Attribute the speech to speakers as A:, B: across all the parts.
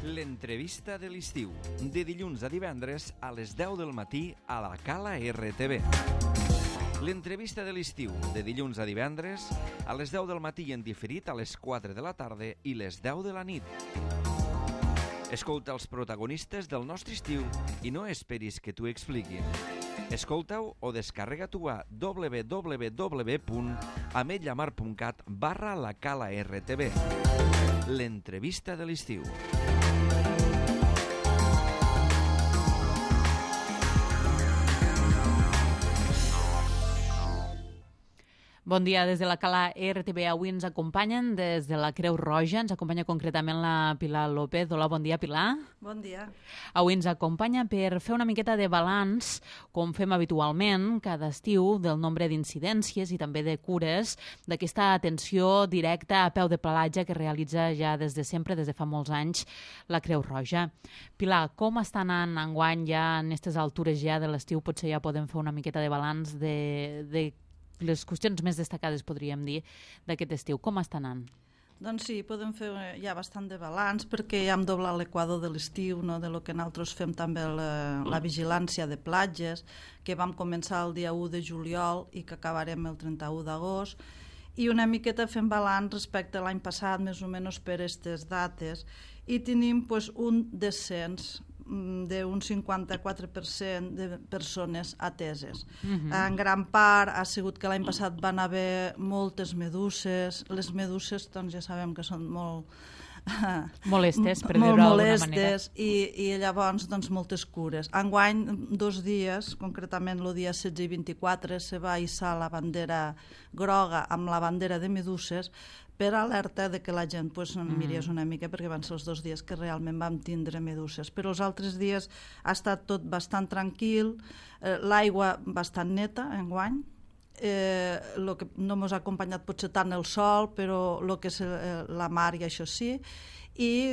A: L'entrevista de l'estiu, de dilluns a divendres a les 10 del matí a la Cala RTV. L'entrevista de l'estiu, de dilluns a divendres a les 10 del matí en diferit a les 4 de la tarda i les 10 de la nit. Escolta els protagonistes del nostre estiu i no esperis que t'ho expliquin. Escolta-ho o descarrega-t'ho a www.ametlllamar.cat/la Cala RTV. L'entrevista de l'estiu.
B: Bon dia des de la Cala RTV. Avui ens acompanyen des de la Creu Roja. Ens acompanya concretament la Pilar López. Hola, bon dia, Pilar.
C: Bon dia.
B: Avui ens acompanya per fer una miqueta de balanç, com fem habitualment cada estiu, del nombre d'incidències i també de cures d'aquesta atenció directa a peu de platja que realitza ja des de sempre, des de fa molts anys, la Creu Roja. Pilar, com està anant enguany ja en aquestes altures ja de l'estiu? Potser ja podem fer una miqueta de balanç de les qüestions més destacades, podríem dir, d'aquest estiu. Com està anant?
C: Doncs sí, podem fer ja bastant de balanç perquè ja hem doblat l'equador de l'estiu, no? De lo que nosaltres fem també la vigilància de platges, que vam començar el dia 1 de juliol i que acabarem el 31 d'agost, i una miqueta fem balanç respecte a l'any passat, més o menys per aquestes dates, i tenim pues, un descens d'un 54% de persones ateses. En gran part ha sigut que l'any passat van haver moltes meduses. Les meduses, doncs ja sabem que són molt
B: molestes, per dir-ho d'alguna manera.
C: I llavors doncs, moltes cures. Enguany, 2 dies, concretament el dia 16 i 24, se va hissar la bandera groga amb la bandera de meduses per alerta de que la gent mirés una mica, perquè van ser els 2 dies que realment vam tindre meduses. Però els altres dies ha estat tot bastant tranquil, l'aigua bastant neta enguany, lo que no ens ha acompanyat potser tant el sol, però el que és la mar i això sí, i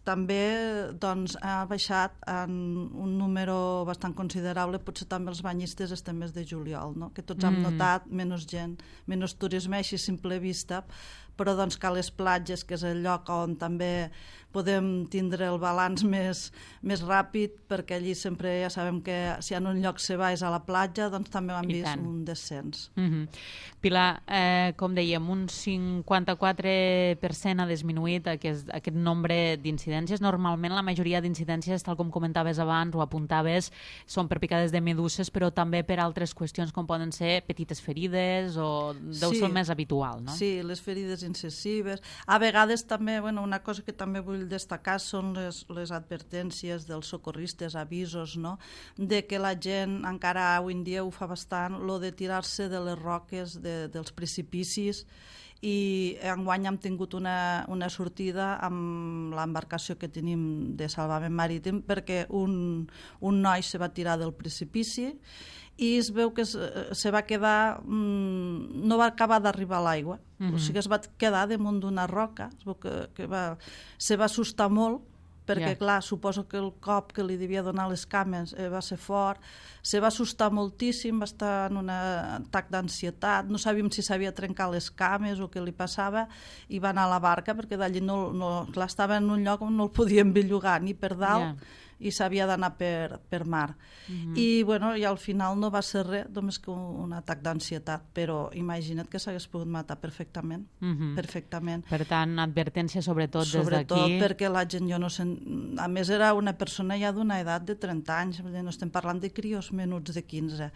C: també doncs, ha baixat en un número bastant considerable, potser també els banyistes este mes de juliol, no? Que tots hem notat menys gent, menys turisme així a simple vista, però doncs que a les platges, que és el lloc on també podem tindre el balanç més ràpid, perquè allí sempre ja sabem que si en un lloc se va és a la platja, doncs també hem vist un descens.
B: Pilar, com dèiem, un 54% ha disminuït aquest nombre d'incidències. Normalment la majoria d'incidències, tal com comentaves abans o apuntaves, són per picades de meduses, però també per altres qüestions com poden ser petites ferides o deu ser més habitual, no?
C: Sí, les ferides incisives. A vegades també, una cosa que també vull destacar són les advertències dels socorristes, avisos, no? De que la gent encara avui en dia ho fa bastant, lo de tirar-se de les roques, dels precipicis, i enguany hem tingut una sortida amb l'embarcació que tenim de salvament marítim perquè un noi se va tirar del precipici i es veu que se va quedar, no va acabar d'arribar a l'aigua, o sigui, es va quedar damunt d'una roca, es veu que se va assustar molt, perquè, clar, suposo que el cop que li devia donar les cames va ser fort, se va assustar moltíssim, va estar en un atac d'ansietat, no sabíem si s'havia trencat les cames o què li passava, i va anar a la barca, perquè d'allí clar, estava en un lloc on no el podien bellugar ni per dalt, i s'havia d'anar per mar. I al final no va ser res, només que un atac d'ansietat, però imagina't que s'hagués pogut matar perfectament. Perfectament.
B: Per tant, advertència sobretot des d'aquí.
C: Sobretot perquè la gent, a més era una persona ja d'una edat de 30 anys, no estem parlant de crios menuts de 15.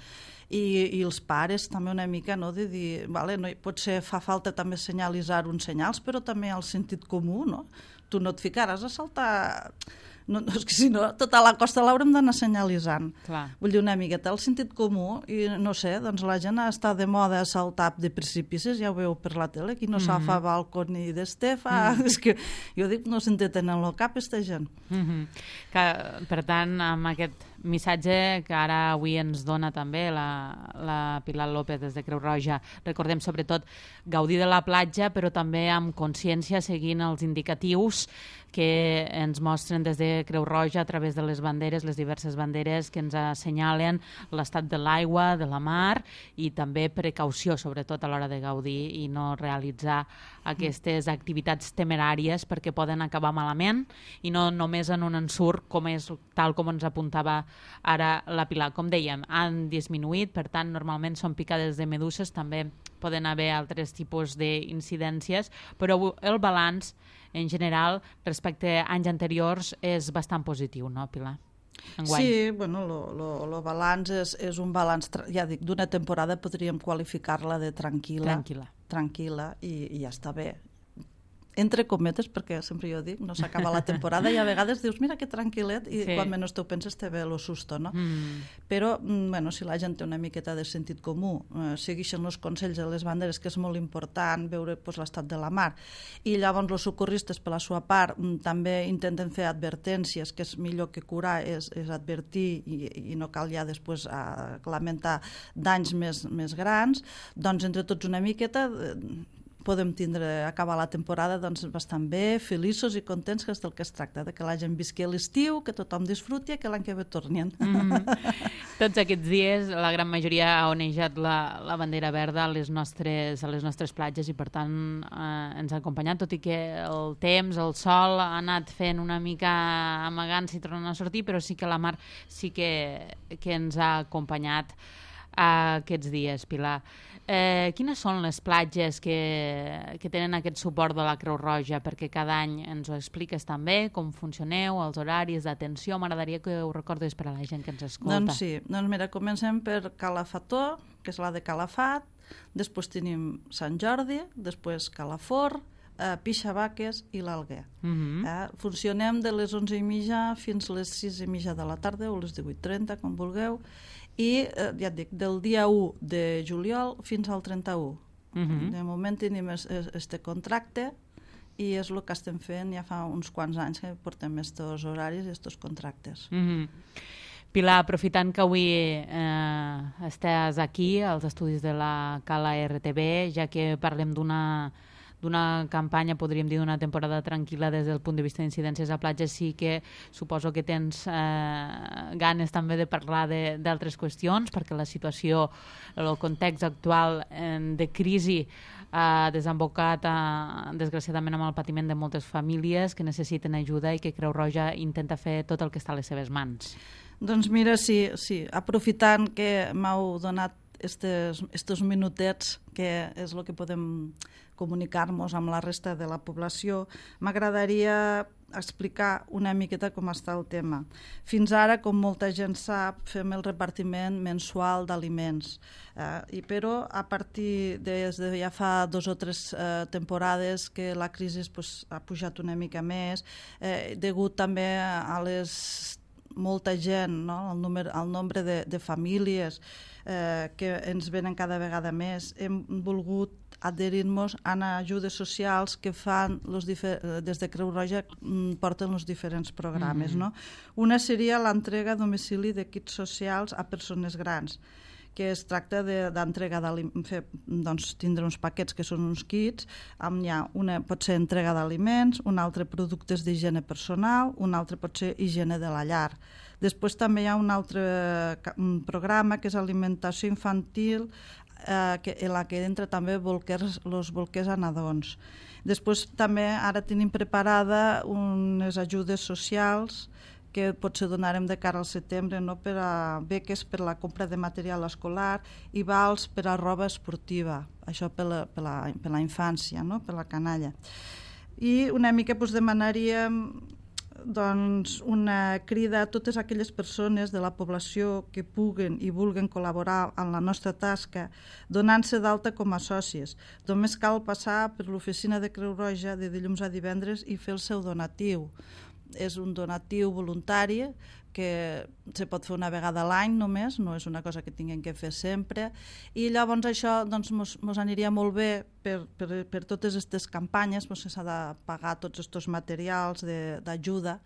C: I els pares també una mica, no, de dir, potser fa falta també senyalitzar uns senyals, però també el sentit comú, no? Tu no et ficaràs a saltar... No, és que si no, tota la costa l'haurem d'anar senyalitzant. Vull dir, una miqueta el sentit comú, i no sé, doncs la gent està de moda a saltar de precipicis, ja ho veu per la tele, qui no s'afa balcó ni d'estefa, és que jo dic, no s'enteten en el cap, aquesta gent.
B: Per tant, amb aquest missatge que ara avui ens dona també la Pilar López des de Creu Roja. Recordem sobretot gaudir de la platja, però també amb consciència seguint els indicatius que ens mostren des de Creu Roja a través de les banderes, les diverses banderes que ens assenyalen l'estat de l'aigua, de la mar, i també precaució, sobretot a l'hora de gaudir i no realitzar aquestes activitats temeràries perquè poden acabar malament i no només en un ensurt com és tal com ens apuntava ara la Pilar. Com dèiem, han disminuït, per tant, normalment són picades de meduses, també poden haver altres tipus d'incidències, però el balanç en general, respecte a anys anteriors, és bastant positiu, no, Pilar? Enguany.
C: Sí, bueno, el balanç és un balanç, ja dic, d'una temporada podríem qualificar-la de tranquil·la i ja està bé. Entre cometes, perquè sempre jo dic, no s'acaba la temporada i a vegades dius, mira que tranquil·let, i quan menys t'ho penses te ve el susto, no? Però, bueno, si la gent té una miqueta de sentit comú, segueixen els consells de les banderes, que és molt important veure l'estat de la mar, i llavors els socorristes, per la seva part, també intenten fer advertències, que és millor que curar, és advertir i no cal ja després lamentar danys més grans, doncs entre tots una miqueta podem acabar la temporada bastant bé, feliços i contents, que és del que es tracta, de que la gent visqui a l'estiu, que tothom disfruti i que l'any que ve tornin.
B: Tots aquests dies la gran majoria ha onejat la bandera verda a les nostres platges i per tant ens ha acompanyat, tot i que el temps, el sol ha anat fent una mica amagant-se i tornant a sortir, però sí que la mar sí que ens ha acompanyat aquests dies, Pilar. Quines són les platges que tenen aquest suport de la Creu Roja? Perquè cada any ens ho expliques també, com funcioneu, els horaris d'atenció. M'agradaria que ho recordis per a la gent que ens escolta.
C: Doncs sí, mira, comencem per Calafató, que és la de Calafat, després tenim Sant Jordi, després Calafort, Pixavaques i l'Alguer. Funcionem de les 11:30 fins les 6:30 de la tarda o les 18:30, com vulgueu, i ja et dic, del dia 1 de juliol fins al 31. De moment tenim este contracte i és el que estem fent ja fa uns quants anys que portem estos horaris i estos contractes.
B: Pilar, aprofitant que avui estàs aquí als estudis de la Cala RTV, ja que parlem d'una campanya, podríem dir d'una temporada tranquil·la des del punt de vista d'incidències a platges, sí que suposo que tens ganes també de parlar d'altres qüestions, perquè la situació, el context actual de crisi ha desembocat desgraciadament amb el patiment de moltes famílies que necessiten ajuda i que Creu Roja intenta fer tot el que està a les seves mans.
C: Doncs mira, sí, aprofitant que m'heu donat estos minutets, que és el que podem comunicar-nos amb la resta de la població, m'agradaria explicar una miqueta com està el tema. Fins ara, com molta gent sap, fem el repartiment mensual d'aliments, però a partir de ja fa 2 o 3 temporades que la crisi ha pujat una mica més, degut també a molta gent, no? El nombre de famílies que ens venen cada vegada més, hem volgut adherir-nos a ajudes socials que fan des de Creu Roja, porten els diferents programes. No? Una seria l'entrega a domicili de kits socials a persones grans, que es tracta d'entrega d'aliments, tindre uns paquets que són uns kits, una pot ser entrega d'aliments, un altre productes d'higiene personal, un altre pot ser higiene de la llar. Després també hi ha un altre programa que és alimentació infantil, en la que entra també els bolquers a nadons. Després també ara tenim preparada unes ajudes socials que potser donarem de cara al setembre, no? Per a beques per la compra de material escolar i vals per a roba esportiva, això per la infància, no? Per la canalla. I una mica demanaríem una crida a totes aquelles persones de la població que puguen i vulguen col·laborar en la nostra tasca donant-se d'alta com a sòcies. Només cal passar per l'oficina de Creu Roja de dilluns a divendres i fer el seu donatiu. És un donatiu voluntari que se pot fer una vegada a l'any només, no és una cosa que tinguem que fer sempre, i llavors això ens aniria molt bé per totes aquestes campanyes, que s'ha de pagar tots aquests materials d'ajuda.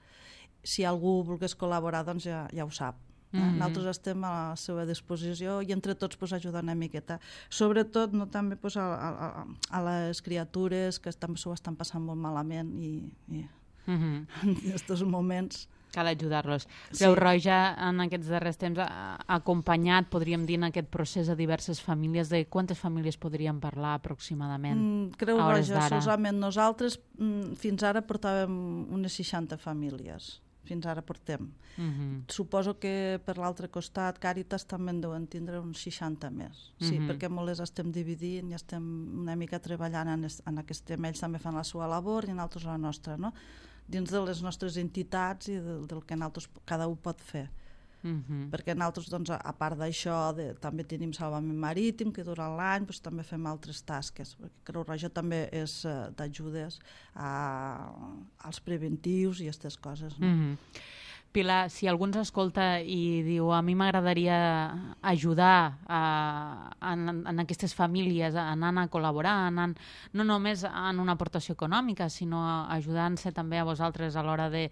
C: Si algú volgués col·laborar, doncs ja ho sap. Nosaltres estem a la seva disposició i entre tots ajudar una miqueta. Sobretot també a les criatures que també s'ho estan passant molt malament i en aquests moments...
B: Cal ajudar-los. Creu Roja en aquests darrers temps ha acompanyat, podríem dir, en aquest procés a diverses famílies. De quantes famílies podríem parlar aproximadament?
C: Creu Roja, solament nosaltres fins ara portàvem unes 60 famílies. Fins ara portem. Suposo que per l'altre costat Càritas també en deuen tindre uns 60 més. Sí, perquè molt les estem dividint i estem una mica treballant en aquest tema. Ells també fan la seva labor i nosaltres la nostra, no? Dins de les nostres entitats i del que nosaltres cada un pot fer. Perquè nosaltres, doncs, a part d'això, també tenim salvament marítim, que durant l'any també fem altres tasques. Creu Roja també és d'ajudes als preventius i aquestes coses.
B: Pilar, si algú ens escolta i diu a mi m'agradaria ajudar en aquestes famílies, anant a col·laborar, no només en una aportació econòmica, sinó ajudant-se també a vosaltres a l'hora de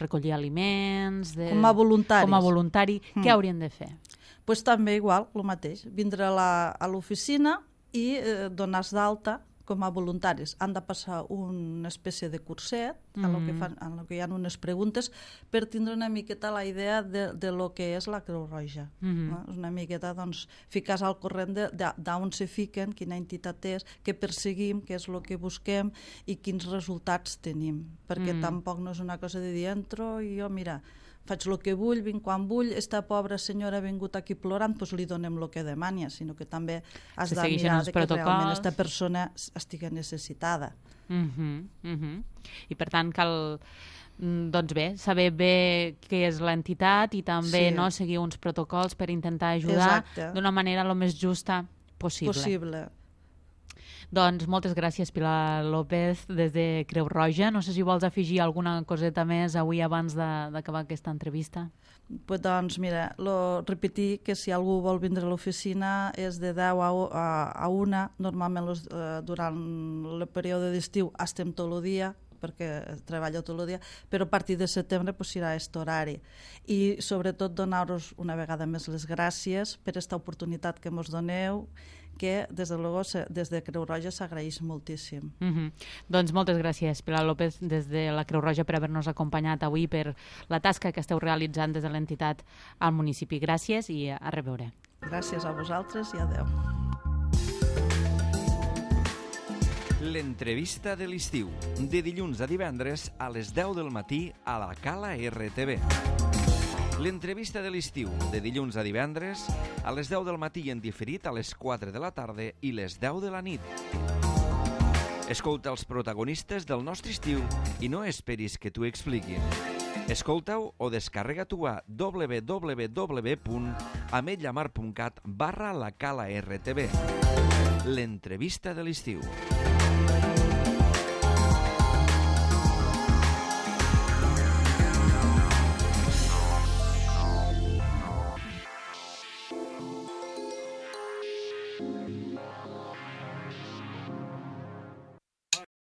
B: recollir aliments...
C: Com a voluntaris.
B: Com a voluntari, què haurien de fer?
C: Doncs també igual, el mateix, vindre a l'oficina i donar-se d'alta com a voluntaris. Han de passar una espècie de curset en què hi ha unes preguntes per tindre una miqueta la idea de lo que és la Creu Roja. Una miqueta, doncs, ficar-se al corrent d'on se fiquen, quina entitat és, què perseguim, què és el que busquem i quins resultats tenim. Perquè tampoc no és una cosa de dir entro i jo, mira, faig el que vull, vinc quan vull, esta pobra senyora ha vingut aquí plorant, doncs li donem el que demania, sinó que també has de mirar que realment aquesta persona estigui necessitada.
B: I per tant cal, doncs bé, saber bé què és l'entitat i també seguir uns protocols per intentar ajudar d'una manera el més justa possible. Doncs moltes gràcies, Pilar López, des de Creu Roja. No sé si vols afegir alguna coseta més avui abans d'acabar aquesta entrevista.
C: Doncs mira, repetir que si algú vol vindre a l'oficina és de 10 a 1. Normalment durant el període d'estiu estem tot el dia, perquè treballo tot el dia, però a partir de setembre serà aquest horari. I sobretot donar-vos una vegada més les gràcies per aquesta oportunitat que ens doneu, que des de Creu Roja s'agraeix moltíssim.
B: Doncs moltes gràcies, Pilar López, des de la Creu Roja per haver-nos acompanyat avui per la tasca que esteu realitzant des de l'entitat al municipi. Gràcies i a reveure.
C: Gràcies a vosaltres i adeu.
A: L'entrevista de l'estiu, de dilluns a divendres a les 10 del matí a la Cala RTV. L'entrevista de l'estiu, de dilluns a divendres, a les 10 del matí i en diferit a les 4 de la tarda i les 10 de la nit. Escolta els protagonistes del nostre estiu i no esperis que t'ho expliquin. Escolta-ho o descarrega-t'ho a www.ametllamar.cat/lacala-rtb. L'entrevista de l'estiu.